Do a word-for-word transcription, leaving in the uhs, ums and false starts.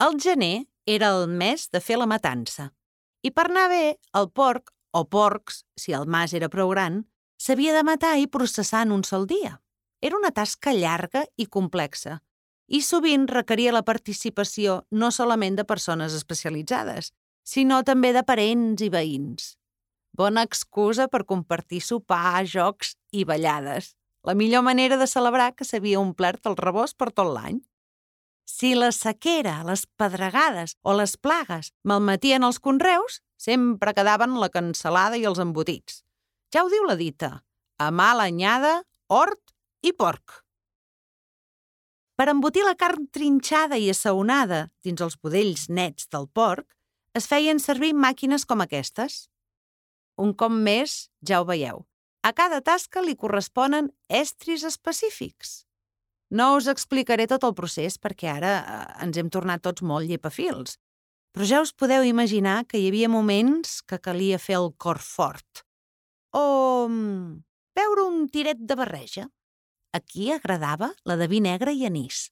El gener era el mes de fer la matança. I per anar bé, el porc, o porcs, si el mas era prou gran, s'havia de matar i processar en un sol dia. Era una tasca llarga i complexa, i sovint requeria la participació no solament de persones especialitzades, sinó també de parents i veïns. Bona excusa per compartir sopar, jocs i ballades. La millor manera de celebrar que s'havia omplert el rebost per tot l'any. Si la sequera, les pedregades o les plagues malmetien els conreus, sempre quedaven la cansalada i els embotits. Ja ho diu la dita, a mala anyada, hort i porc. Per embotir la carn trinxada i assaonada dins els budells nets del porc, es feien servir màquines com aquestes. Un cop més, ja ho veieu, a cada tasca li corresponen estris específics. No us explicaré tot el procés perquè ara eh, ens hem tornat tots molt llepafils, però ja us podeu imaginar que hi havia moments que calia fer el cor fort. O mm, beure un tiret de barreja. Aquí agradava la de vi negre i anís.